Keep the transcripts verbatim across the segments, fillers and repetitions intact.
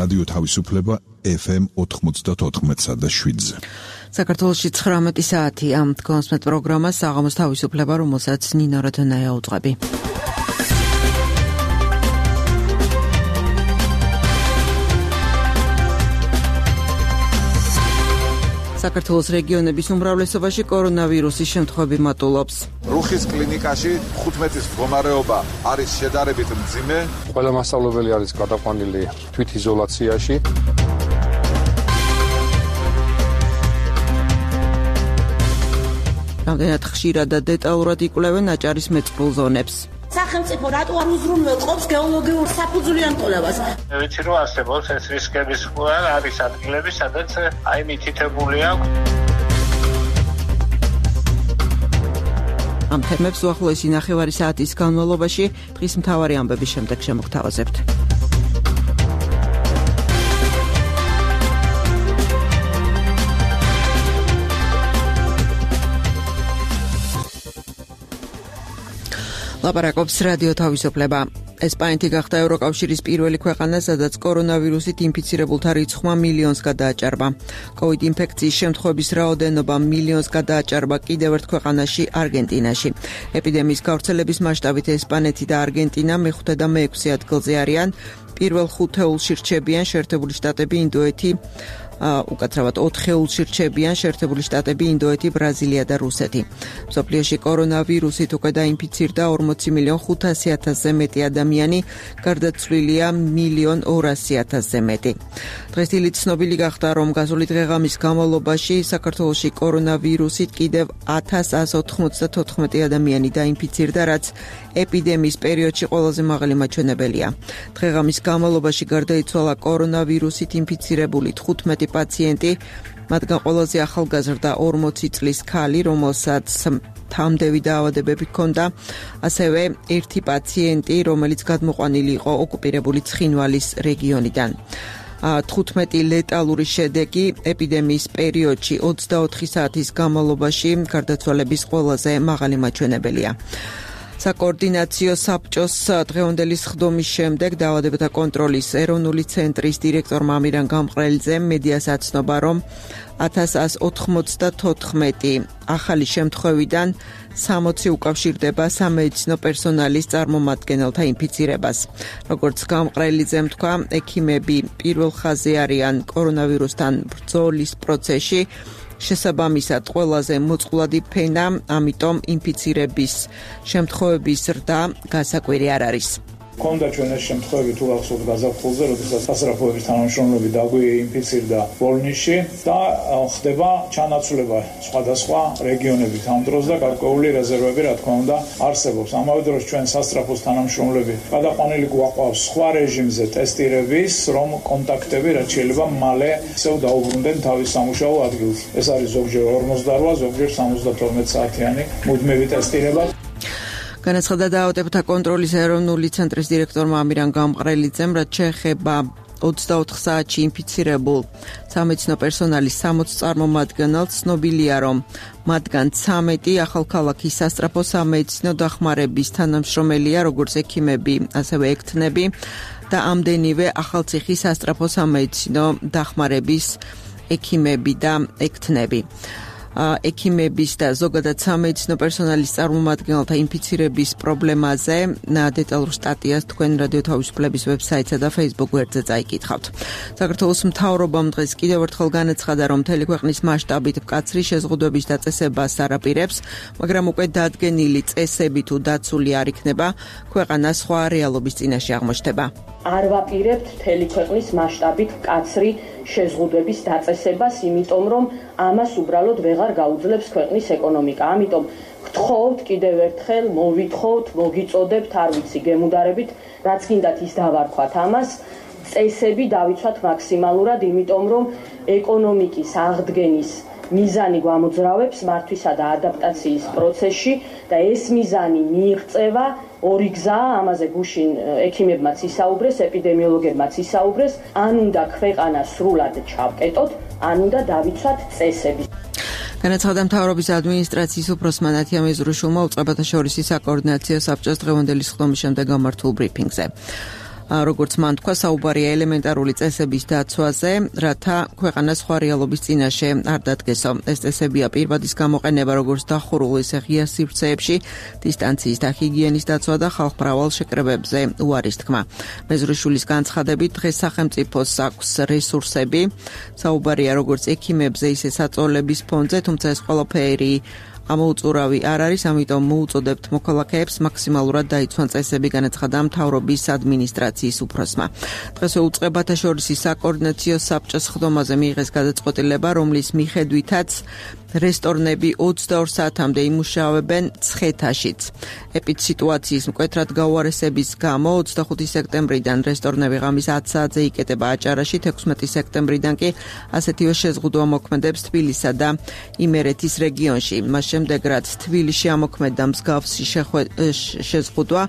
რადიო თავისუფლება ეფ ემ ოთხმოცდაოთხ და შვიდზე. საქართველოში ცხრამეტი საათი ამ კონსმეთ პროგრამას საღამოს თავისუფლება, რომელსაც ნინო როდონაია უძღვები. საქართველოს რეგიონების უმრავლესობაში კორონავირუსის შემთხვევები მატულობს. რუხის კლინიკაში თხუთმეტის მდგომარეობა არის შედარებით მძიმე. ყველა მასწავლებელი არის გადაყვანილი თვითიზოლაციაში. რამდენად ხშირად და დეტალურად იკვლევენ აჭარის მეწყრულ ზონებს. სახელმწიფო რატო არ უზრუნველყოფს გეოლოგიურ საფუძვლიან ტოლებას? ვიცი რომ არსებობს ეს რისკების ყველა არის ადგილები, სადაც აი მითითებული აქვს. ამ თემებს უახლოესი ნახევარი საათის განმავლობაში დღის მთავარი ამბების შემდეგ შემოგთავაზებთ. ლაპარაკობს რადიო თავისუფლება. ესპანეთი გახდა ევროკავშირის პირველი ქვეყანა, სადაც კორონავირუსით ინფიცირებულთა რიცხვმა მილიონს გადააჭარბა. კოვიდ ინფექციის შემთხვევების რაოდენობა მილიონს გადააჭარბა კიდევ ერთ ქვეყანაში, არგენტინაში. ეპიდემიის გავრცელების მასშტაბით ესპანეთი და არგენტინა მეხუთე და მეექვსე ადგილზე არიან. პირველ ხუთეულში რჩებიან შეერთებული შტატები, ინდოეთი, უკაცრავად ოთხეულში რჩებიან შეერთებული შტატები, ინდოეთი, ბრაზილია და რუსეთი. მსოფლიოში კორონავირუსით უკვე დაინფიცირდა ორმოცი მილიონ ხუთასი ათასზე მეტი ადამიანი, გარდაცვლილია მილიონ ორასი ათასზე მეტი. დღეს დილით ცნობილი გახდა, რომ გასული დღეღამის განმავლობაში საქართველოში კორონავირუსით კიდევ ათას ათას ოთხმოცდათოთხმეტი ადამიანი დაინფიცირდა, რაც ეპიდემიის პერიოდში ყველაზე მაღალი მაჩვენებელია. დღეღამის განმავლობაში გარდაიცვალა კორონავირუსით ინფიცირებული თხუთმეტი პაციენტი, მათგან ყველაზე ახალგაზრდა ორმოცი წლის ქალი, რომელსაც თამდევი დაავადებები ჰქონდა, ასევე ერთი პაციენტი, რომელიც გადმოყვანილი იყო ოკუპირებული ცხინვალის რეგიონიდან. თხუთმეტი ლეტალური შედეგი ეპიდემიის პერიოდში ოცდაოთხი საათის განმავლობაში გარდაცვალების ყველაზე მაღალი მაჩვენებელია. საკოორდინაციო საბჭოს დღევანდელი სხდომის შემდეგ დაავადებათა კონტროლის ეროვნული ცენტრის დირექტორმა ამირან გამყრელიძემ მედიას აცნობა, რომ ათას ათას ოთხმოცდათოთხმეტი ახალი შემთხვევიდან სამოცი უკავშირდება სამედიცინო პერსონალის წარმომადგენელთა ინფიცირებას. როგორც გამყრელიძემ თქვა, ექიმები პირველ ხაზზე არიან კორონავირუსთან ბრძოლის პროცესში. შესაბამისად, ყველაზე მოწყვლადი ფენა, ამიტომ ინფიცირების შემთხვევების ზრდა გასაკვირი არ არის. Კონდა ჩვენ ეს შემთხვევები თუ ახსოვთ გაზაფხულზე, როდესაც სასწრაფოების თანამშრომლები დაგვეინფიცირდა ბოლნისში და ხდება ჩანაცვლება სხვადასხვა რეგიონებით ამ დროს და გარკვეული რეზერვები, რა თქმა უნდა, არსებობს. ამავე დროს ჩვენ სასწრაფოს თანამშრომლები გადაყვანილი გვაყავს სხვა რეჟიმზე ტესტირების, რომ კონტაქტები რაც შეიძლება მალე ისევ დაუბრუნდნენ თავის სამუშაო ადგილს. ეს არის ზოგჯერ ორმოცდარვა, ზოგჯერ სამოცდათორმეტ საათიანი მუდმივი ტესტირება. განაცხადა დაავადებათა კონტროლის ეროვნული ცენტრის დირექტორმა ამირან გამყრელიძემ, რაც შეეხება ოცდაოთხ საათში ინფიცირებულ სამედიცინო პერსონალის სამოც წარმომადგენელს, ცნობილია, რომ მათგან ცამეტი ახალქალაქის სასწრაფო სამედიცინო დახმარების თანამშრომელია, როგორც ექიმები, ასევე ექთნები და ამდენივე ახალციხის სასწრაფო სამედიცინო დახმარების ექიმები და ექთნები. ექიმების და ზოგადად სამედიცინო პერსონალის წარმომადგენელთა ინფიცირების პრობლემაზე დეტალურ სტატიას თქვენ რადიო თავისუფლების ვებსაიტსა და Facebook გვერდზე წაიკითხავთ. საქართველოს მთავრობამ დღეს კიდევ ერთხელ განაცხადა, რომ მთელი ქვეყნის მასშტაბით მკაცრი შეზღუდვების დაწესებას არაპირებს, მაგრამ უკვე დადგენილი წესები თუ დაცული არ იქნება, ქვეყანა სხვა რეალობის წინაშე აღმოჩნდება. არ ვაპირებთ მთელი ქვეყნის მასშტაბით მკაცრი შეზღუდვების დაწესებას, იმიტომ რომ ამას უბრალოდ ვეღარ გაუძლებს ქვეყნის ეკონომიკა. ამიტომ გთხოვთ კიდევ ერთხელ, მოვითხოვთ, მოგიწოდებთ, არ ვიცი, გემუდარებით, რაც გინდათ ის დავარქვათ ამას, წესები დავიცვათ მაქსიმალურად, იმიტომ რომ ეკონომიკის აღდგენის მიზანი გვამოძრავებს მართვისა და ადაპტაციის პროცესში და ეს მიზანი მიიღწევა ორი გზაა, ამაზე გუშინ ექიმებმაც ისაუბრეს, ეპიდემიოლოგებმაც ისაუბრეს, ან უნდა ქვეყანა სრულად ჩავკეტოთ, ან უნდა დავიცვათ წესები. განაცხადა მთავრობის ადმინისტრაციის უფროსმა ნათია მეზრუშულმა უწყებათა შორისი საკოორდინაციო საბჭოს დღევანდელი სხდომის შემდეგ გამართულ ბრიფინგზე. როგორც მან თქვა, საუბარია ელემენტარული წესების დაცვაზე, რათა ქვეყანა სხვა რეალობის წინაშე არ დადგესო. ეს წესებია პირვადის გამოყენება როგორც დახურულ, ისე ღია სივრცეებში, დისტანციის და ჰიგიენის დაცვა და ხალხმრავალ შეკრებებზე უარის თქმა. მეზრიშვილის განცხადებით, დღეს სახელმწიფოს აქვს რესურსები, საუბარია როგორც ექიმებზე, ისე საწოლების ფონდზე, თუმცა ეს ყველაფერი ამოუწურავი არ არის, ამიტომ მოუწოდებთ მოქალაქეებს მაქსიმალურად დაიცვან წესები, განაცხადა მთავრობის ადმინისტრაციის უფროსმა. დღეს უწყებათა შორის საკოორდინაციო საბჭოს ხდომაზე მიიღეს გადაწყვეტილება, რომლის მიხედვითაც რესტორნები ოცდაორ საათამდე იმუშავებენ ცხეთაშიც. ეპიდსიტუაციის მკვეთრად გაუარესების გამო ოცდახუთი სექტემბრიდან რესტორნები ღამის ათ საათზე იკეტება აჭარაში, თექვსმეტი სექტემბრიდან კი ასეთივე შეზღუდვა მოქმედებს თბილისსა და იმერეთის რეგიონში. მას შემდეგ, რაც თბილისში ამოქმედდა მსგავსი შეზღუდვა,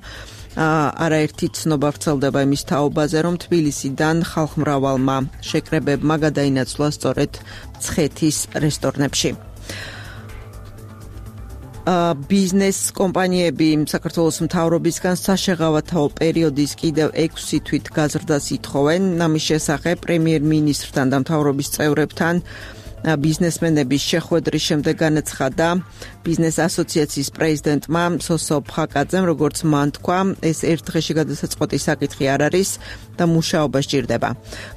არაერთი ცნობა ვრცელდება იმის თაობაზე, რომ თბილისიდან ხალხმრავალმა შეკრებებმა გადაინაცვლა სწორედ ცხეთის რესტორნებში. ბიზნეს კომპანიები საქართველოს მთავრობისგან საშეღავათაო პერიოდის კიდევ ექვსი თვით გაზრდას ითხოვენ. ამის შესახებ პრემიერ-მინისტრთან და მთავრობის წევრებთან ბიზნესმენების შეხვედრის შემდეგ განაცხადა ბიზნეს ასოციაციის პრეზიდენტმა სოსო ფხაკაძემ, როგორც მან თქვა, ეს ერთ დღეში გადასაწყვეტი საკითხი არ არის და მუშაობა სჭირდება.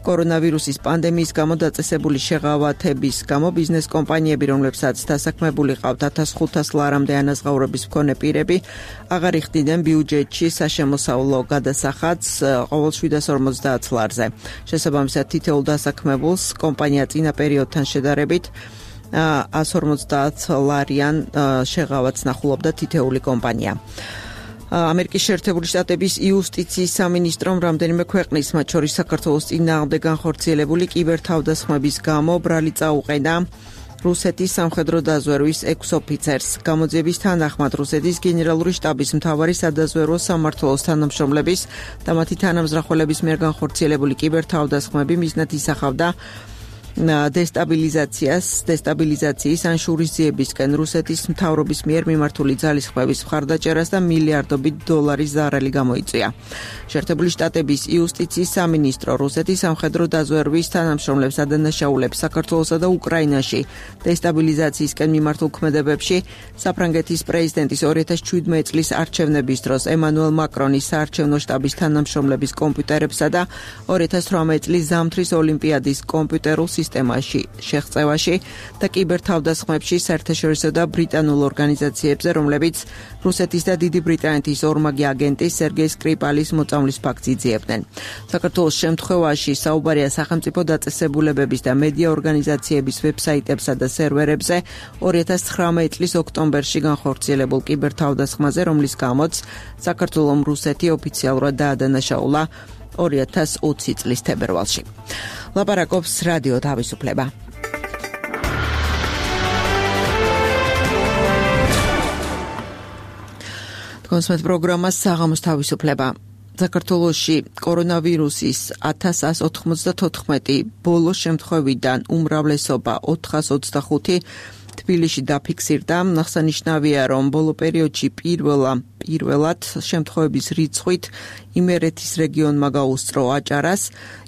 კორონავირუსის პანდემიის გამო დაწესებული შეღავათების გამო ბიზნეს კომპანიები, რომლებსაც დასაქმებული ყავთ ათას ხუთას ლარამდე ანაზღაურების მქონე პირები, აღარ იხდიდნენ ბიუჯეტში საშემოსავლო გადასახადს ყოველ შვიდას ორმოცდაათ ლარზე. შესაბამისად, თითოეულ დასაქმებულს კომპანია წინა პერიოდთან შედარებით ას ორმოცდაათ ლარიან შეღავათს ნახულობდა თითეული კომპანია. ამერიკის შეერთებული შტატების იუსტიციის სამინისტრომ რამდენიმე ქვეყნის, მათ შორის საქართველოს წინააღმდეგ განხორციელებული კიბერთავდასხმების გამო ბრალი წაუყენა რუსეთის სამხედრო დაზვერვის ექვს ოფიცერს. გამოძიების თანახმად რუსეთის გენერალური შტაბის მთავარი სადაზვერვო სამმართველოს თანამშრომლების და მათი თანამზრახველების მიერ განხორციელებული კიბერთავდასხმები მიზნად ისახავდა დესტაბილიზაციას, დესტაბილიზაციის ან შურისძიებისკენ რუსეთის მთავრობის მიერ მიმართული ძალისხმების მხარდაჭერას და მილიარდობით დოლარის ზარალი გამოიწვია. შეერთებული შტატების იუსტიციის სამინისტრო რუსეთის სამხედრო დაზვერვის თანამშრომლებს ადანაშაულებს საქართველოსა და უკრაინაში დესტაბილიზაციისკენ მიმართულ ქმედებებში საფრანგეთის პრეზიდენტის ორი ათას შვიდმეტი წლის არჩევნების დროს ემანუელ მაკრონის საარჩევნო შტაბის თანამშრომლების კომპიუტერებსა და ორი ათას თვრამეტი წლის ზამთრის ოლიმპიადის კომპიუტერულ სისტემაში შეღწევაში და კიბერთავდასხმებში საერთაშორისო და ბრიტანულ ორგანიზაციებზე, რომლებიც რუსეთის და დიდი ბრიტანეთის ორმაგი აგენტის სერგეი სკრიპალის მოწამვლის ფაქტს იძიებდნენ. საქართველოს შემთხვევაში საუბარია სახელმწიფო დაწესებულებების და მედია ორგანიზაციების ვებსაიტებსა და სერვერებზე ორი ათას ცხრამეტი წლის ოქტომბერში განხორციელებულ კიბერთავდასხმაზე, რომლის გამოც საქართველომ რუსეთი ოფიციალურად დაადანაშაულა ორი ათას ოცი წლის თებერვალში. ლაპარაკობს რადიო თავისუფლება. კონსმეთ პროგრამა საღამოს თავისუფლება. საქართველოში კორონავირუსის ათას ას ოთხმოცდათოთხმეტი ბოლო შემთხვევიდან უმრავლესობა ოთხას ოცდახუთი თბილისში დაფიქსირდა. აღსანიშნავია, რომ ბოლო პერიოდში პირველა პირველად შემთხვევების რიცხვით იმერეთის რეგიონმა გაუსწრო აჭარას.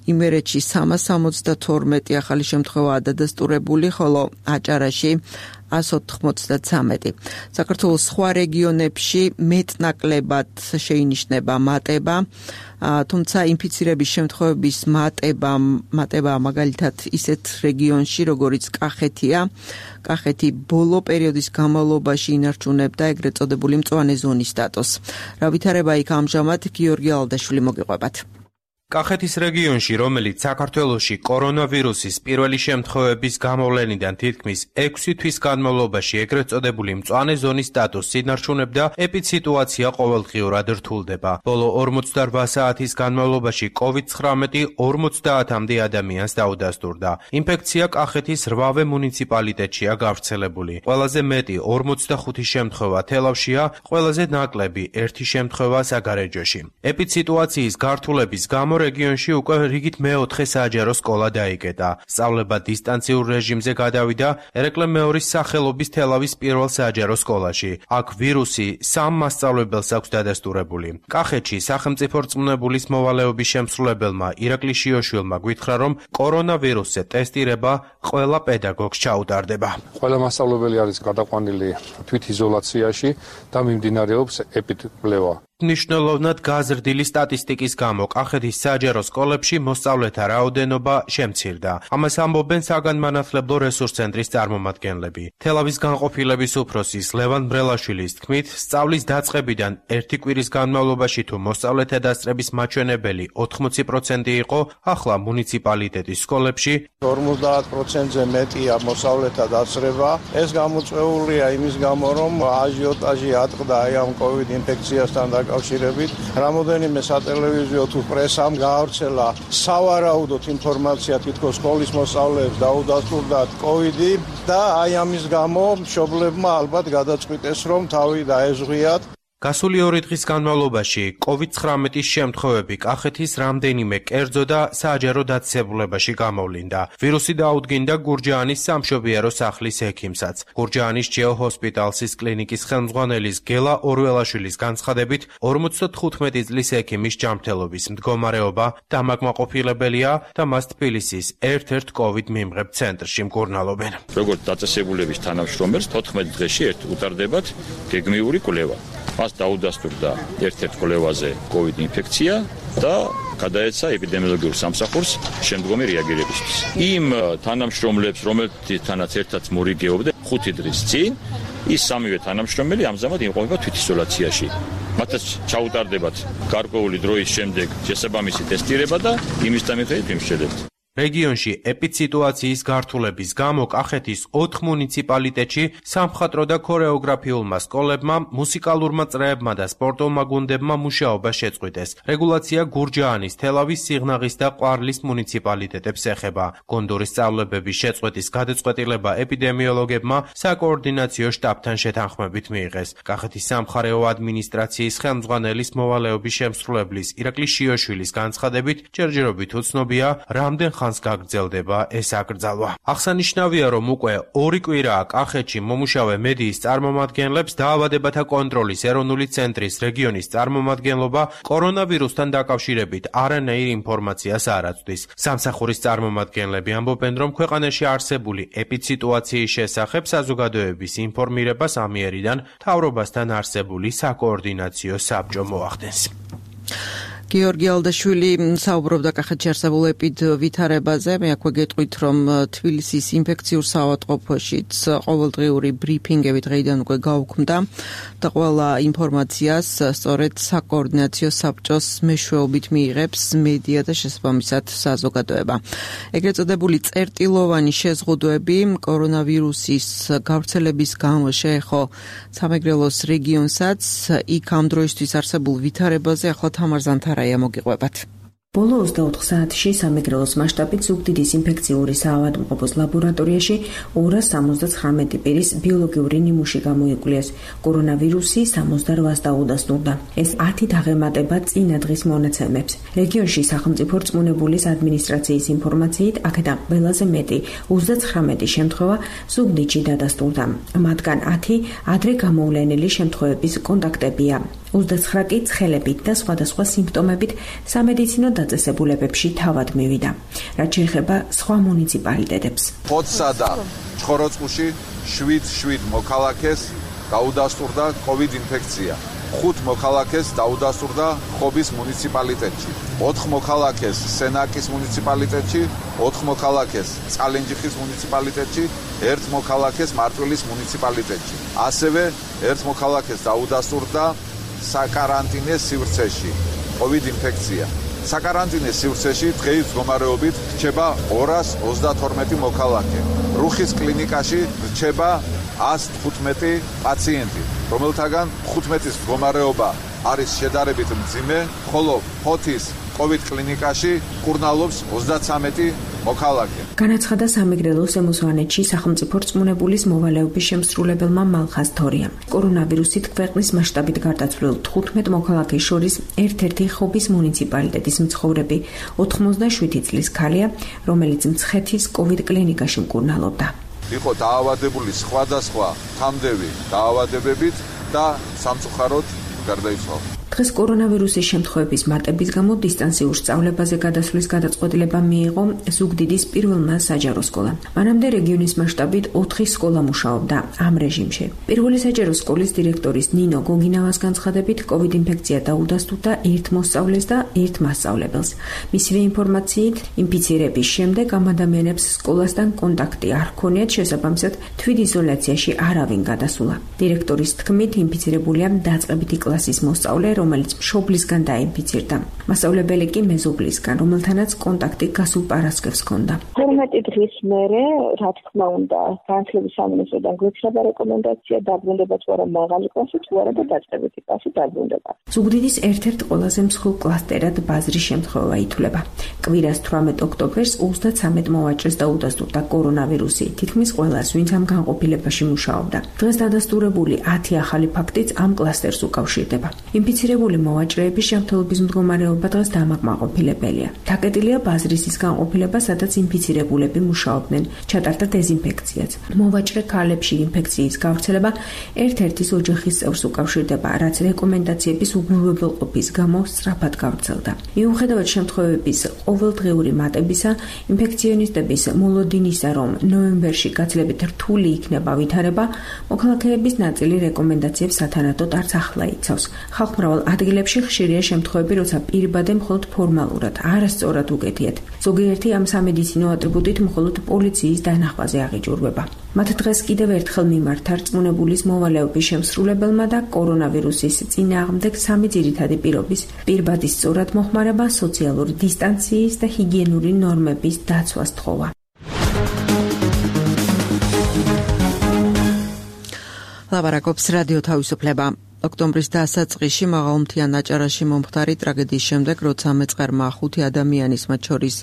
იმერეთში სამას სამოცდათორმეტი ახალი შემთხვევაა დადასტურებული, ხოლო აჭარაში ას ოთხმოცდათვრამეტი. საქართველოს სხვა რეგიონებში მეტნაკლებად შეინიშნება მატება, თუმცა ინფიცირების შემთხვევების მატება, მატება მაგალითად ისეთ რეგიონში, როგორიც კახეთია. კახეთი ბოლო პერიოდის განმავლობაში ინარჩუნებდა ეგრეთ წოდებული მწვანე ზონის სტატუსს. რა ვითარება იქ ამჟამად გიორგი ალდაშვილი მოგიყვებათ. კახეთის რეგიონში, რომელიც საქართველოში კორონავირუსის პირველი შემთხვევების გამოვლენიდან თითქმის ექვსი თვის განმავლობაში ეგრეთ წოდებული მწვანე ზონის სტატუსს ინარჩუნებდა, ეპიდსიტუაცია ყოველდღიურად რთულდება. ბოლო ორმოცდაორ საათის განმავლობაში კოვიდ ცხრამეტი ორმოცდაათამდე ადამიანს დაუდასტურდა. ინფექცია კახეთის რვავე მუნიციპალიტეტშია გავრცელებული. ყველაზე მეტი ორმოცდახუთი შემთხვევა თელავშია, ყველაზე ნაკლები ერთი შემთხვევა საგარეჯოში. ეპიდსიტუაციის გართულების გამო რეგიონში უკვე რიგით მეოთხე საჯარო სკოლა დაიკეტა. სწავლება დისტანციურ რეჟიმზე გადავიდა ერეკლე მეორის სახელობის თელავის პირველ საჯარო სკოლაში. აქ ვირუსი სამ მასწავლებელს აქვს დადასტურებული. კახეთში სახელმწიფო რწმუნებულის მოვალეობის შემსრულებელმა ირაკლი შიოშვილმა გვითხრა, რომ კორონავირუსზე ტესტირება ყველა პედაგოგს ჩაუტარდება. ყველა მასწავლებელი არის გადაყვანილი თვითიზოლაციაში და მიმდინარეობს ეპიდემიოლოგია. მნიშვნელოვნად გაზრდილი სტატისტიკის გამო კახეთის საჯარო სკოლებში მოსწავლეთა რაოდენობა შემცირდა. ამას ამბობენ საგანმანათლებლო რესურს ცენტრის წარმომადგენლები. თელავის განყოფილების უფროსის ლევან ბრელაშვილის თქმით, სწავლის დაწყებიდან ერთი კვირის განმავლობაში თუ მოსწავლეთა დასწრების მაჩვენებელი ოთხმოცი პროცენტი იყო, ახლა მუნიციპალიტეტის სკოლებში ორმოცდაათ პროცენტზე მეტია მოსწავლეთა დასწრება. ეს გამოწვეულია იმის გამო, რომ აჟიოტაჟი ატყდა აი ამ კოვიდ ინფექციასთან დაკავშირებით. რამოდენიმე სატელევიზიო თუ პრესამ გაავრცელა სავარაუდოდ ინფორმაცია, თითქოს სკოლის მოსწავლეებს დაუდასტურდათ კოვიდი და აი ამის გამო მშობლებმა ალბათ გადაწყვიტეს, რომ თავი დაეზღვიათ. გასული ორი დღის განმავლობაში კოვიდ ცხრამეტის შემთხვევები კახეთის რამდენიმე კერძო და საჯარო დაწესებულებაში გამოვლინდა. ვირუსი დაუდგინდა გურჯაანის სამშობიარო სახლის ექიმსაც. გურჯაანის ჯეო ჰოსპიტალსის კლინიკის ხელმძღვანელის გელა ორველაშვილის განცხადებით, ორმოცდათხუთმეტი წლის ექიმის ჯანმრთელობის მდგომარეობა დამაკმაყოფილებელია და მას თბილისის ერთ-ერთ კოვიდ მიმღებ ცენტრში მკურნალობენ. როგორც დაწესებულების თანამშრომელს თოთხმეტ დღეში ერთ უტარდებათ გეგმიური კვლევა. მას დაუდასტურდა ერთ-ერთ კვლევაზე კოვიდ ინფექცია და გადაეცა ეპიდემიოლოგიურ სამსახურს შემდგომი რეაგირებისთვის. იმ თანამშრომლებს, რომელთანაც ერთად მორიგეობდა ხუთი დღის წინ, ის სამივე თანამშრომელი ამჟამად იმყოფება თვითიზოლაციაში. მათაც ჩაუტარდებათ გარკვეული დროის შემდეგ შესაბამისი ტესტირება და იმის მიხედვით იმშელებთ. რეგიონში ეპიდსიტუაციის გართულების გამო კახეთის ოთხ მუნიციპალიტეტში სამხატვრო და ქორეოგრაფიულმა სკოლებმა, მუსიკალურმა წრეებმა და სპორტულმა გუნდებმა მუშაობა შეწყვიტეს. რეგულაცია გურჯაანის, თელავის, სიღნაღის და ყვარლის მუნიციპალიტეტებს ეხება. გონდორის სწავლებების შეწყვეტის გადაწყვეტილება ეპიდემიოლოგებმა საკოორდინაციო შტაბთან შეთანხმებით მიიღეს. კახეთის სამხარეო ადმინისტრაციის ხელმძღვანელის მოვალეობის შემსრულებლის ირაკლი შიოშვილის განცხადებით, ჯერჯერობით უცნობია, რამდენ ხანს გაგრძელდება ეს აკრძალვა. აღსანიშნავია, რომ უკვე ორი კვირაა კახეთში მომუშავე მედიის წარმომადგენლებს დაავადებათა კონტროლის ეროვნული ცენტრის რეგიონის წარმომადგენლობა კორონავირუსთან დაკავშირებით არანაირ ინფორმაციას არ აწვდის. სამსახურის წარმომადგენლები ამბობენ, რომ ქვეყანაში არსებული ეპიდსიტუაციის შესახებ საზოგადოების ინფორმირებას ამიერიდან მთავრობასთან არსებული საკოორდინაციო საბჭო მოახდენს. გიორგი ალდაშვილი საუბრობდა კახეთში არსებულ ეპიდვითარებაზე. მე აქვე გეტყვით, რომ თბილისის ინფექციურ საავადმყოფოშიც ყოველდღიური ბრიფინგები დღეიდან უკვე გაუქმდა და ყველა ინფორმაციას სწორედ საკოორდინაციო საბჭოს მეშვეობით მიიღებს მედია და შესაბამისად საზოგადოება. ეგრეთ წოდებული წერტილოვანი შეზღუდვები კორონავირუსის გავრცელების გამო შეეხო სამეგრელოს რეგიონსაც. იქ ამ დროისთვის არსებულ ვითარებაზე ახლა თამარ ზანთარაია მოგიყვებათ. ბოლო ოცდაოთხ საათში სამეგრელოს მასშტაბით ზუგდიდის ინფექციური საავადმყოფოს ლაბორატორიაში ორას სამოცდაცხრამეტი პირის ბიოლოგიური ნიმუში გამოიკვლიეს. კორონავირუსი სამოცდაოთხს დაუდასტურდა. ეს ათი დაღემატება წინა დღის მონაცემებს. რეგიონში სახელმწიფო რწმუნებულის ადმინისტრაციის ინფორმაციით, აქედან ყველაზე მეტი ოცდაცხრამეტი შემთხვევა ზუგდიდში დადასტურდა. მათგან ათი ადრე გამოვლენილი შემთხვევების კონტაქტებია. ოცდაცხრა კი ცხელებით და სხვადასხვა სიმპტომებით სამედიცინო დაწესებულებებში თავად მივიდა. რაც შეეხება სხვა მუნიციპალიტეტებს. ხოცსა და ცხოროწყუში შვიდ შვიდ მოქალაქეს დაუდასტურდა კოვიდ ინფექცია. ხუთ მოქალაქეს დაუდასტურდა ხობის მუნიციპალიტეტში. ოთხ მოქალაქეს სენაკის მუნიციპალიტეტში, ოთხ მოქალაქეს წალენჯიხის მუნიციპალიტეტში, ერთ მოქალაქეს მარტვილის მუნიციპალიტეტში. ასევე ერთ მოქალაქეს დაუდასტურდა საკარანტინე სივრცეში კოვიდ ინფექცია. საკარანტინე სივრცეში დღეის მდგომარეობით რჩება ორას ოცდათორმეტი მოქალაქე. რუხის კლინიკაში რჩება ას თხუთმეტი პაციენტი, რომელთაგან თხუთმეტის მდგომარეობა არის შედარებით მძიმე, ხოლო ფოთის კოვიდ კლინიკაში მკურნალობს ოცდაცამეტი მოქალაქე. განაცხადა სამეგრელოს ემოსვანეთში სახელმწიფო რწმუნებულის მოვალეობის შემსრულებელმა მალხაზ თორიამ. კორონავირუსით ქვეყნის მასშტაბით გარდაცვლილ თხუთმეტ მოქალაქეს შორის ერთ-ერთი ხობის მუნიციპალიტეტის მცხოვრები ოთხმოცდაშვიდი წლის ქალია, რომელიც მცხეთის კოვიდ კლინიკაში მკურნალობდა. იყო დაავადებული სხვადასხვა თამდევი დაავადებებით და სამწუხაროდ გარდაიცვალა. დღეს კორონავირუსის შემთხვევების მატების გამო დისტანციურ სწავლებაზე გადასვლის გადაწყვეტილება მიიღო ზუგდიდის პირველმა საჯარო სკოლამ. მანამდე რეგიონის მასშტაბით ოთხი სკოლა მუშაობდა ამ რეჟიმში. პირველი საჯარო სკოლის დირექტორის ნინო გოგინავას განცხადებით, კოვიდ ინფექცია დაუდასტურდა ერთ მოსწავლეს და ერთ მასწავლებელს. მისივე ინფორმაციით, ინფიცირების შემდეგ ამ ადამიანებს სკოლასთან კონტაქტი არ ჰქონიათ, შესაბამისად თვითიზოლაციაში არავინ გადასულა. დირექტორის თქმით, ინფიცირებულია დაწყებითი კლასის მოსწავლე, რომელიც მშობლისგან დაინფიცირდა. მასწავლებელი კი მეზობლისგან, რომელთანაც კონტაქტი გასულ პარასკევს ჰქონდა. თორმეტი დღის მერე, რა თქმა უნდა, განათლების სამინისტროდან გვეცნობა რეკომენდაცია დაბრუნდება თუ არა მაღალი კლასი, თუ არა და დაწყებითი კლასი დაბრუნდება. ზუგდიდის ერთ-ერთ ყველაზე მსხვილ კლასტერად ბაზრის შემთხვევა ითვლება. კვირას თვრამეტ ოქტომბერს ოცდათრამეტ მოვაჭრეს დაუდასტურდა კორონავირუსი, თითქმის ყველას, ვინც ამ განყოფილებაში მუშაობდა. დღეს დადასტურებული ათი ახალი ფაქტიც ამ კლასტერს უკავშირდება. ინფიცირებული მოვაჭრეების ჯანმრთელობის მდგომარეობა დღეს დამაკმაყოფილებელია. დაკეტილია ბაზრის ის განყოფილება, სადაც ინფიცირებულები მუშაობდნენ, ჩატარდა დეზინფექციაც. მოვაჭრე ქალებში ინფექციის გავრცელება ერთ-ერთის ოჯახის წევრს უკავშირდება, რაც რეკომენდაციების უგულებელყოფის გამო სწრაფად გავრცელდა. მიუხედავად შემთხვევების ყოველდღიური მატებისა, ინფექციონისტების მოლოდინისა, რომ ნოემბერში გაცილებით რთული იქნება ვითარება, მოქალაქეების ნაწილი რეკომენდაციებს სათანადოდ არც ახლა იცავს. ხალხმრავალ ადგილებში ხშირია შემთხვევები, როცა პირბადე მხოლოდ ფორმალურად, არასწორად უკეთიათ. ზოგიერთი ამ სამედიცინო ატრიბუტით მხოლოდ პოლიციის დანახვაზე აღიჭურვება. მათ დღეს კიდევ ერთხელ მიმართა რწმუნებულის მოვალეობის შემსრულებელმა და კორონავირუსის წინააღმდეგ სამი ძირითადი პირობის, პირბადის სწორად მოხმარება, სოციალური დისტანციის და ჰიგიენური ნორმების დაცვა სთხოვა. ლაპარაკობს რადიო თავისუფლება. ოქტომბრის დასაწყისში მაღალმთიან აჭარაში მომხდარი ტრაგედიის შემდეგ, როცა მეწყერმა ხუთი ადამიანის, მათ შორის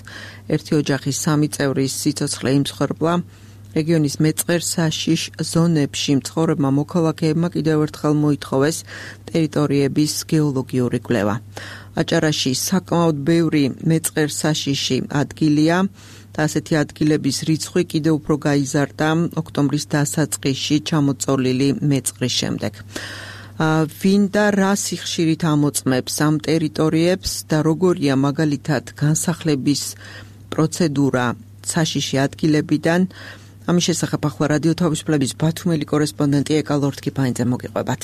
ერთი ოჯახის სამი წევრის სიცოცხლე იმსხვერპლა, რეგიონის მეწყერ საშიშ ზონებში მცხოვრებმა მოქალაქეებმა კიდევ ერთხელ მოითხოვეს ტერიტორიების გეოლოგიური კვლევა. აჭარაში საკმაოდ ბევრი მეწყერ საშიში ადგილია და ასეთი ადგილების რიცხვი კიდევ უფრო გაიზარდა ოქტომბრის დასაწყისში ჩამოწოლილი მეწყრის შემდეგ. ვინ და რა სიხშირით ამოწმებს ამ ტერიტორიებს და როგორია მაგალითად განსახლების პროცედურა საშიში ადგილებიდან, ამის შესახებ ახლა რადიო თავისუფლების ბათუმელი კორესპონდენტი ეკა ლორთქიფაინძე მოგიყვებათ.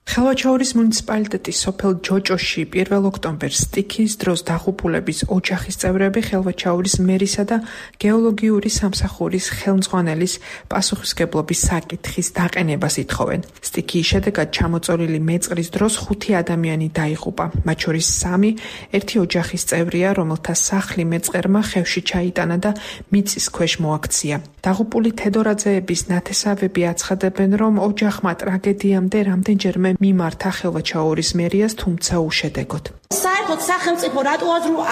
ხელვაჩაურის მუნიციპალიტეტის სოფელ ჯოჭოში პირველ ოქტომბერს სტიქიის დროს დაღუპულების ოჯახის წევრები ხელვაჩაურის მერისა და გეოლოგიური სამსახურის ხელმძღვანელის პასუხისმგებლობის საკითხის დაყენებას ითხოვენ. სტიქიის შედეგად ჩამოწოლილი მეწყრის დროს ხუთი ადამიანი დაიღუპა, მათ შორის სამი ერთი ოჯახის წევრია, რომელთა სახლი მეწყერმა ხევში ჩაიტანა და მიწის ქვეშ მოაქცია. დაღუპული თედორაძეების ნათესავები აცხადებენ, რომ ოჯახმა ტრაგედიამდე რამდენჯერმე მიმართა ხელვაჩაურის მერიას, თუმცა უშედეგოდ. საერთოდ სახელმწიფო რატო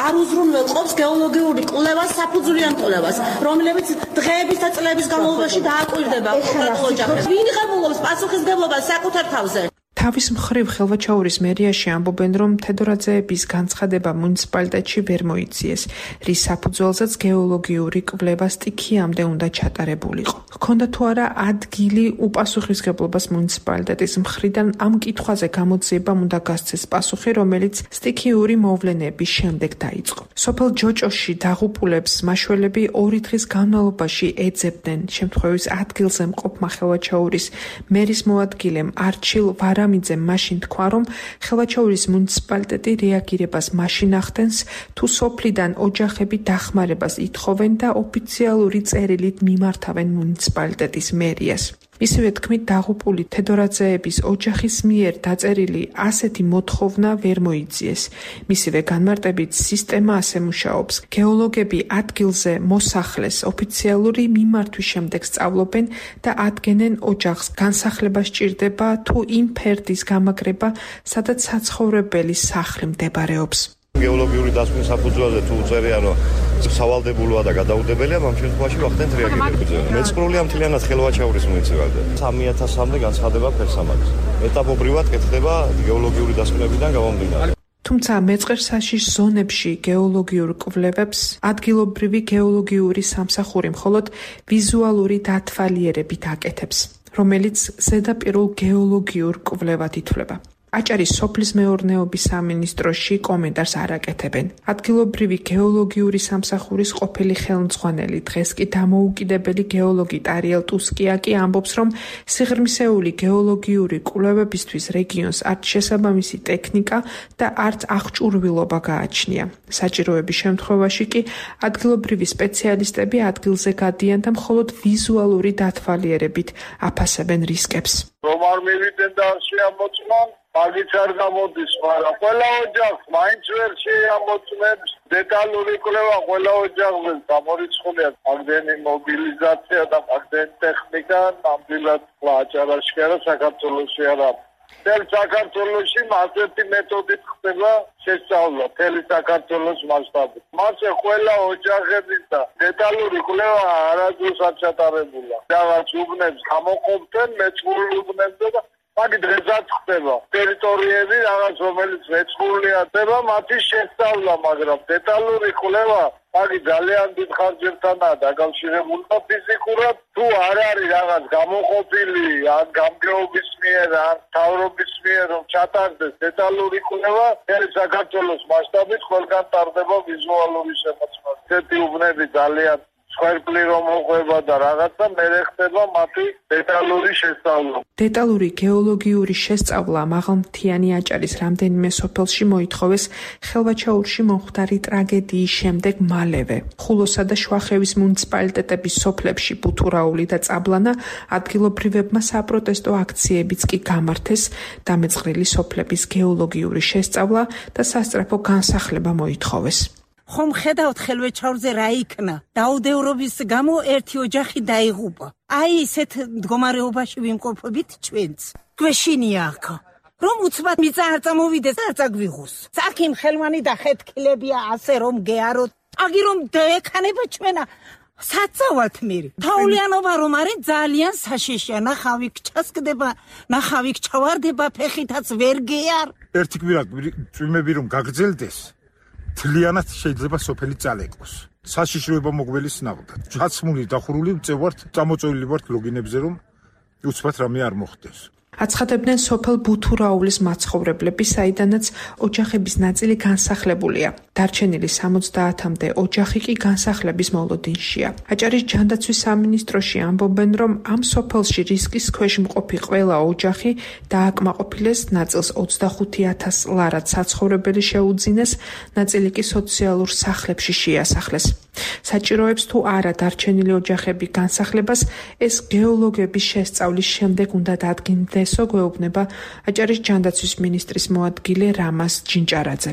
არ უზრუნველყოფს გეოლოგიური კვლევას, საფუძვლიან კვლევას, რომლებიც დღეების და წლების განმავლობაში დააკვირდება ოჯახებს. ვინ იღებულობს პასუხისმგებლობას საკუთარ თავზე? თავის მხრივ ხელვაჩაურის მერიაში ამბობენ, რომ თედორაძეების განცხადება მუნიციპალიტეტში ვერ მოიციეს, რის საფუძველზეც გეოლოგიური კვლევა სტიქიამდე უნდა ჩატარებულიყო. ჰქონდა თუ არა ადგილი უპასუხისმგებლობას მუნიციპალიტეტის მხრიდან, ამ კითხვაზე გამოძიებამ უნდა გასცეს პასუხი, რომელიც სტიქიური მოვლენების შემდეგ დაიწყო. სოფელ ჯოჭოში დაღუპულებს მაშველები ორი დღის განმავლობაში ეძებდნენ. შემთხვევის ადგილზე მყოფმა ხელვაჩაურის მერის მოადგილემ არჩილ ვარამიძემ მაშინ თქვა, რომ ხელვაჩაურის მუნიციპალიტეტი რეაგირებას მაშინ ახდენს, თუ სოფლიდან ოჯახები დახმარებას ითხოვენ და ოფიციალური წერილით მიმართავენ მუნიციპალიტეტის მერიას. მისივე თქმით, დაღუპული თედორაძეების ოჯახის მიერ დაწერილი ასეთი მოთხოვნა ვერ მოიძიეს. მისივე განმარტებით, სისტემა ასე მუშაობს. გეოლოგები ადგილზე მოსახლეს ოფიციალური მიმართვის შემდეგ სწავლობენ და ადგენენ ოჯახს. განსახლება სჭირდება თუ იმ ფერდის გამაგრება, სადაც საცხოვრებელი სახლი მდებარეობს. გეოლოგიური დასკვნის საფუძველზე თუ უწერია, რომ სავალდებულოა და გადაუდებელია, ამ შემთხვევაში ვახდენთ რეაგირებებზე. მეწყრულია მთლიანად ხელვაჩაურის მუნიციპალიტეტი. სამი ათასამდე განცხადება ფერსამაგს. ეტაპობრივად კეთდება გეოლოგიური დასკვნებიდან გამომდინარე. თუმცა მეწყერსაშიშ ზონებში გეოლოგიურ კვლევებს ადგილობრივი გეოლოგიური სამსახური მხოლოდ ვიზუალური დათვალიერებით აკეთებს, რომელიც ზედაპირულ გეოლოგიურ კვლევად ითვლება. აჭარის სოფლის მეურნეობის სამინისტროში კომენტარს არ აკეთებენ. ადგილობრივი გეოლოგიური სამსახურის ყოფილი ხელმძღვანელი, დღეს კი დამოუკიდებელი გეოლოგი ტარიელ ტუსკია კი ამბობს, რომ სიღრმისეული გეოლოგიური კვლევებისთვის რეგიონს არც შესაბამისი ტექნიკა და არც აღჭურვილობა გააჩნია. საჭიროების შემთხვევაში კი ადგილობრივი სპეციალისტები ადგილზე გადიან და მხოლოდ ვიზუალური დათვალიერებით აფასებენ რისკებს. რომ არ მივიდნენ და შეამოწმონ მაგით არ გამოდის, მაგრამ ყველა ოჯახს მაინც ვერ შეამოწმებს დეტალური კვლევა ყველა ოჯახზე გამორიცხულია მაგდენი მობილიზაცია და მაგდენი ტექნიკა ნამდვილად აჭარაში არა საქართველოში არა. მთელ საქართველოში მასეთი მეთოდით ხდება შესწავლა მთელი საქართველოს მასშტაბით. მასე ყველა ოჯახების და დეტალური კვლევა არასდროს არ ჩატარებულა. რაღაც უბნებს გამოყოფდნენ მეწყრულ უბნებზე და მაგ დღესაც ხდება ტერიტორიები რაღაც რომელიც მეწყრულია ხდება მათი შესწავლა, მაგრამ დეტალური კვლევა მაგი ძალიან დიდ ხარჯებთანაა დაკავშირებული და ფიზიკურად თუ არ არის რაღაც გამოყოფილი ან გამგეობის მიერ ან თავრობის მიერ რომ ჩატარდეს დეტალური კვლევა, ეს საქართველოს მასშტაბით ყველგან ტარდება ვიზუალური შემოწმება. ესეთი უბნები ძალიან სხერფლი რომ მოყვება და რაღაცა მერე ხდება მათი დეტალური შესწავლა. დეტალური გეოლოგიური შესწავლა მაღალმთიანი აჭარის რამდენიმე სოფელში მოითხოვეს ხელვაჩაურში მომხდარი ტრაგედიის შემდეგ მალევე. ხულოსა და შუახევის მუნიციპალიტეტების სოფლებში ბუთურაული და წაბლანა ადგილობრივებმა საპროტესტო აქციებიც კი გამართეს, დამეწყრილი სოფლების გეოლოგიური შესწავლა და სასწრაფო განსახლება მოითხოვეს. ხომ ხედავთ ხელვაჩაურზე რა იქნა? დაუდევრობის გამო ერთი ოჯახი დაიღუპა. აი ესეთ მდგომარეობაში ვიმყოფებით ჩვენც. გვეშინია აქ. რომ უცბად მიწა არ წამოვიდეს, არ წაგვიღოს. საქიმ ხელმანი და ხეთქილებია ასე რომ გეაროთ. აგი რომ დაექანება ჩვენა საწავალთ მერი. თაულიანობა რომ არის ძალიან საშიშია. ნახავი ჩასკდება, ნახავი ჩავარდება, ფეხითაც ვერ გეარ. ერთი კვირა წვიმები რომ გაგრძელდეს, თლიანად შეიძლება სოფელი წალეკოს. საშიშროება მოგველის ნაღდა. ჩაცმული დახურული ვწევართ, წამოწეული ვართ ლოგინებზე რომ უცბად რამე არ მოხდეს. აცხადებდნენ სოფელ ბუთურაულის მაცხოვრებლები, საიდანაც ოჯახების ნაწილი განსახლებულია. დარჩენილი სამოცდაათამდე ოჯახი კი განსახლების მოლოდინშია. აჭარის ჯანდაცვის სამინისტროში ამბობენ, რომ ამ სოფელში რისკის ქვეშ მყოფი ყველა ოჯახი დააკმაყოფილეს, ნაწილს ოცდახუთი ათას ლარად საცხოვრებელი შეუძინეს, ნაწილი კი სოციალურ სახლებში შეასახლეს. საჭიროებს თუ არა დარჩენილი ოჯახები განსახლებას, ეს გეოლოგების შესწავლის შემდეგ უნდა დადგინდესო, გვეუბნება აჭარის ჯანდაცვის მინისტრის მოადგილე რამაზ ჯინჭარაძე.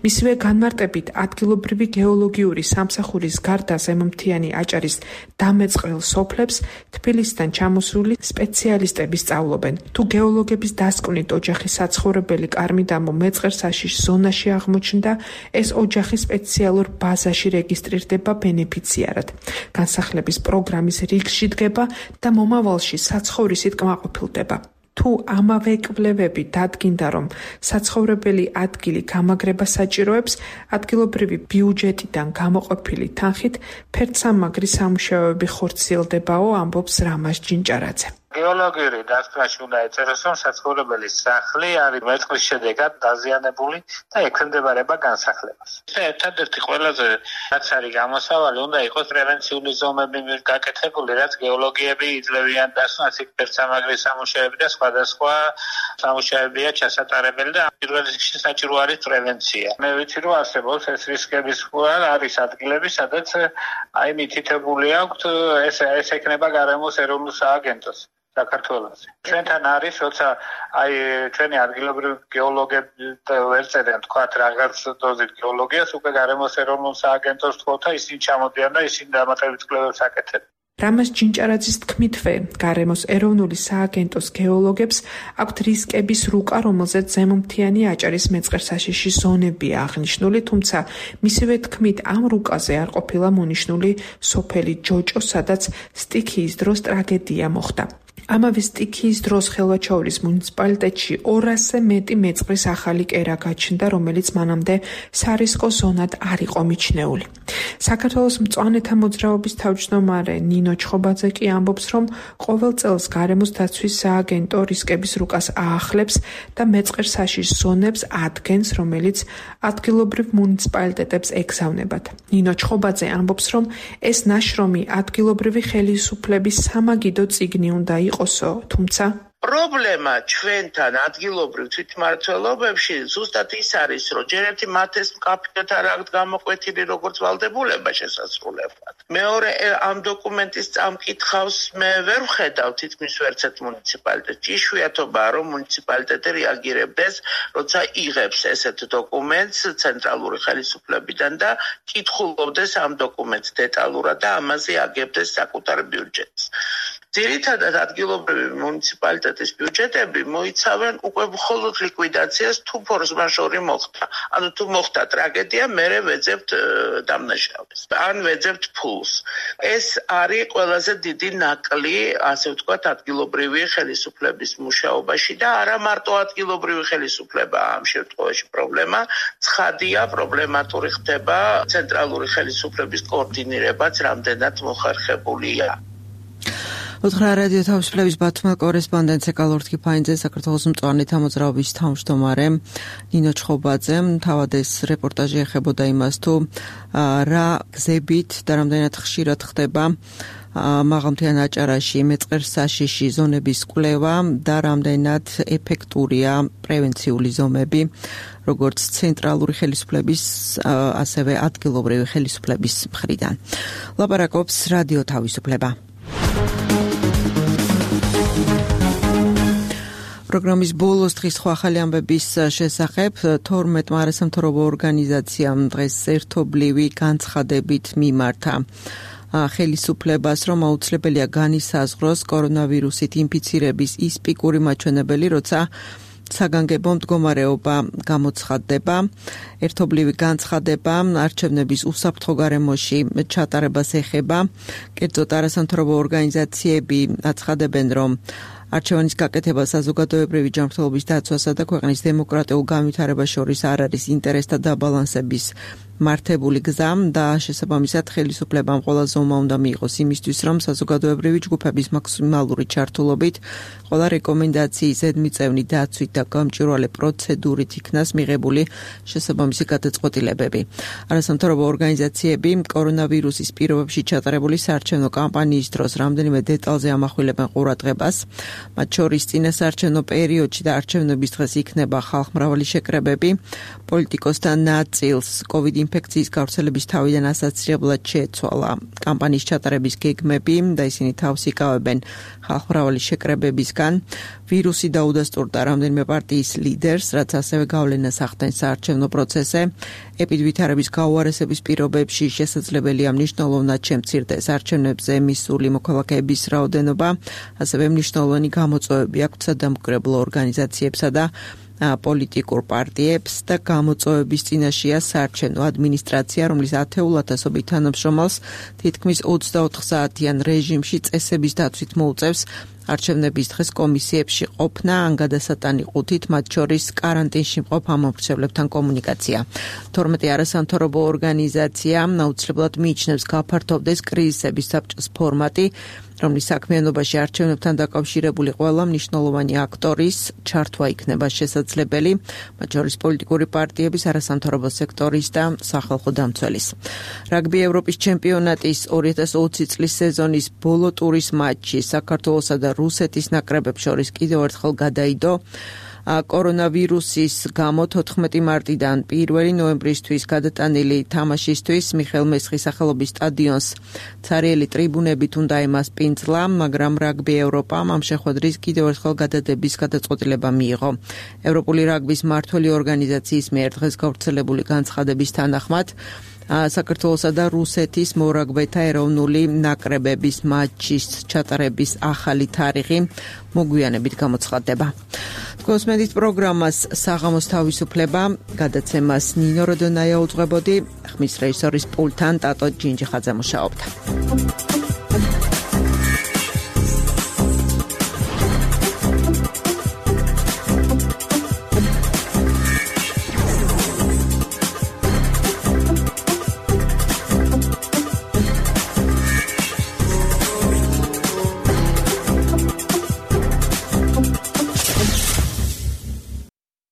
მისივე განმარტებით, ადგილობრივი გეოლოგიური სამსახურის გარდა ზემოთიანი აჭარის დამეწყრელ სოფლებს თბილისიდან ჩამოსული სპეციალისტები სწავლობენ. თუ გეოლოგების დასკვნით ოჯახის საცხოვრებელი კარმიდამო მეწყერსაშიშ ზონაში აღმოჩნდა, ეს ოჯახი სპეციალურ ბაზაში რეგისტრირდება ბენეფიციარად. განსახლების პროგრამის რიგში დგება და მომავალში საცხოვრისით კმაყოფილდება. თუ ამავე კვლევები დადგინდა, რომ საცხოვრებელი ადგილი გამაგრება საჭიროებს, ადგილობრივი ბიუჯეტიდან გამოყოფილი თანხით ფერდსამაგრის სამუშაოები ხორციელდებაო, ამბობს რამაზ ჯინჭარაძე. გეოლოგიური დასკვნაში უნდა ეწეროს, რომ საცხოვრებელი სახლი არის მეწყრის შედეგად დაზიანებული და ექვემდებარება განსახლებას. ერთადერთი ყველაზე რაც არის გამოსავალი, უნდა იყოს პრევენციული ზომები გაკეთებული, რაც გეოლოგიები იძლევიან დასკვნას, იქ ფერდსამაგრის სამუშაოები და სხვადასხვა სამუშაოებია ჩასატარებელი და პირველ რიგში საჭირო არის პრევენცია. მე ვიცი, რომ არსებობს ეს რისკების ფუარ არის ადგილები, სადაც აი მითითებული აქვთ ეს ეს ექნება გარემოს ეროვნულ სააგენტოს. საქართველოში. ჩვენთან არის, როცა აი ჩვენი ადგილობრივი გეოლოგები ვერ წერენ თქვათ რაღაც დოზით გეოლოგიას, უკვე გარემოს ეროვნულ სააგენტოს თქოთა ისინი ჩამოდიან და ისინი დამატებით კვლევებს აკეთებენ. რამაზ ჯინჭარაძის თქმითვე, გარემოს ეროვნული სააგენტოს გეოლოგებს აქვთ რისკების რუკა, რომელზეც ზემომთიანი აჭარის მეწყერსაშიში ზონებია აღნიშნული, თუმცა მისივე თქმით ამ რუკაზე არ ყოფილა მონიშნული სოფელი ჯოჭო, სადაც სტიქიის დროს ტრაგედია მოხდა. ამავე სტიქიის დროს ხელვაჩაურის მუნიციპალიტეტში ორასზე მეტი მეწყრის ახალი კერა გაჩნდა, რომელიც მანამდე სარისკო ზონად არ იყო მიჩნეული. საქართველოს მწვანეთა მოძრაობის თავმჯდომარე ნინო ჩხობაძე კი ამბობს, რომ ყოველ წელს გარემოს დაცვის სააგენტო რისკების რუკას აახლებს და მეწყერსაშიშ ზონებს ადგენს, რომელიც ადგილობრივ მუნიციპალიტეტებს ეგზავნებათ. ნინო ჩხობაძე ამბობს, რომ ეს ნაშრომი ადგილობრივი ხელისუფლების სამაგიდო წიგნი უნდა იყოსო, თუმცა პრობლემა ჩვენთან ადგილობრივ თვითმმართველობებში ზუსტად ის არის, რომ ჯერ ერთი მათ ეს მკაფიოდ არ აქვთ გამოკვეთილი როგორც ვალდებულება შესასრულებლად. მეორე ამ დოკუმენტის წამკითხავს მე ვერ ვხედავ თითქმის ვერცერთ მუნიციპალიტეტში. იშვიათობაა, რომ მუნიციპალიტეტი რეაგირებდეს, როცა იღებს ესეთ დოკუმენტს ცენტრალური ხელისუფლებიდან და კითხულობდეს ამ დოკუმენტს დეტალურად და ამაზე აგებდეს საკუთარ ბიუჯეტს. ძირითადად ადგილობრივი მუნიციპალიტეტის ბიუჯეტები მოიცავენ უკვე მხოლოდ ლიკვიდაციას, თუ ფორს-მაჟორი მოხდა. ანუ თუ მოხდა ტრაგედია, მერე ვეძებთ დამნაშავეს. ან ვეძებთ ფულს. ეს არის ყველაზე დიდი ნაკლი, ასე ვთქვათ, ადგილობრივი ხელისუფლების მუშაობაში და არა მარტო ადგილობრივი ხელისუფლება ამ შემთხვევაში პრობლემა, ცხადია, პრობლემატური ხდება ცენტრალური ხელისუფლების კოორდინირებაც რამდენად მოხერხებულია. უთხრა რადიო თავისუფლების ბათუმელ კორესპონდენტ ეკალორთკი ფაინძე, საქართველოს მწვანეთა მოძრაობის თავმჯდომარე ნინო ჩხობაძემ თავად ეს რეპორტაჟი ეხებოდა იმას, თუ რა გზებით და რამდენად ხშირად ხდება მაღალმთიან აჭარაში მეწყერსაშიში ზონების კვლევა და რამდენად ეფექტურია პრევენციული ზომები, როგორც ცენტრალური ხელისუფლების, ასევე ადგილობრივი ხელისუფლების მხრიდან. ლაპარაკობს რადიო თავისუფლება. პროგრამის ბოლოს დღის სხვა ახალი ამბების შესახებ თორმეტმა არასამთავრობო ორგანიზაციამ დღეს ერთობლივი განცხადებით მიმართა ხელისუფლებას, რომ აუცილებელია განისაზღვროს კორონავირუსით ინფიცირების ის პიკური მაჩვენებელი, როცა საგანგებო მდგომარეობა გამოცხადდება. ერთობლივი განცხადება არჩევნების უსაფრთხო გარემოში ჩატარებას ეხება. კერძოდ არასამთავრობო ორგანიზაციები აცხადებენ, რომ არჩევანის გაკეთება საზოგადოებრივი ჯანმრთელობის დაცვასა და ქვეყნის დემოკრატიულ განვითარებას შორის არ არის ინტერესთა დაბალანსების მართებული გზა და შესაბამისად ხელისუფლებამ ყველა ზომა უნდა მიიღოს იმისთვის, რომ საზოგადოებრივი ჯგუფების მაქსიმალური ჩართულობით ყველა რეკომენდაციის ზედმიწევნი დაცვით და გამჭვირვალე პროცედურით იქნას მიღებული შესაბამისი გადაწყვეტილებები. არასამთავრობო ორგანიზაციები კორონავირუსის პირობებში ჩატარებული საარჩევნო კამპანიის დროს რამდენიმე დეტალზე ამახვილებენ ყურადღებას. მათ შორის წინასაარჩევნო პერიოდში და არჩევნების დღეს იქნება ხალხმრავალი შეკრებები. პოლიტიკოსთან ნაწილს COVID ინფექციის გავრცელების თავიდან ასაცილებლად შეეცვალა კამპანიის ჩატარების გეგმები და ისინი თავს იკავებენ ხალხმრავალი შეკრებებისგან. ვირუსი დაუდასტურდა რამდენიმე პარტიის ლიდერს, რაც ასევე გავლენას ახდენს საარჩევნო პროცესზე. ეპიდვითარების გაუარესების პირობებში შესაძლებელია მნიშვნელოვნად შემცირდეს არჩევნებზე მისული მოქალაქეების რაოდენობა, ასევე მნიშვნელოვანი გამოწვევები აქვთ სადამკვირვებლო ორგანიზაციებსა და პოლიტიკურ პარტიებს და გამოწვევების წინაშეა საარჩევნო ადმინისტრაცია, რომლის ათეულ ათასობით თანამშრომელს თითქმის ოცდაოთხ საათიან რეჟიმში წესების დაცვით მოუწევს არჩევნების დღეს კომისიებში ყოფნა, ან გადასატანიყუთით, მათ შორის კარანტინში მყოფ ამომრჩევლებთან კომუნიკაცია. თორმეტი არასამთავრობო ორგანიზაცია აუცილებლად მიიჩნევს გაფართოვდეს კრიზისების საბჭოს ფორმატი, რომლის საქმიანობაში არჩევნებთან დაკავშირებული ყველა მნიშვნელოვანი აქტორის ჩართვა იქნება შესაძლებელი, მათ შორის პოლიტიკური პარტიების, არასამთავრობო სექტორის და სახალხო დამცველის. რაგბი ევროპის ჩემპიონატის ორი ათას ოცი წლის სეზონის ბოლო ტურის მატჩი საქართველოსა და რუსეთის ნაკრებებს შორის კიდევ ერთხელ გადაიდო. კორონავირუსის გამო თოთხმეტი მარტიდან პირველი ნოემბრისთვის გადატანილი თამაშისთვის მიხეილ მესხის სახელობის სტადიონს ცარიელი ტრიბუნებით უნდა ემასპინძლა, მაგრამ რაგბი ევროპამ ამ შეხვედრის კიდევ ერთხელ გადადების გადაწყვეტილება მიიღო. ევროპული რაგბის მმართველი ორგანიზაციის მიერ დღეს გავრცელებული განცხადების თანახმად საქართველოსა და რუსეთის მორაგბეთა ეროვნული ნაკრებების მატჩის ჩატარების ახალი თარიღი მოგვიანებით გამოცხადდება. თქვენს მედიის პროგრამას საღამოს თავისუფლება გადაცემას ნინო როდონაია უძღვებოდი, ხმის რეჟისორის პულტთან ტატო ჯინჯიხაძე მუშაობდა.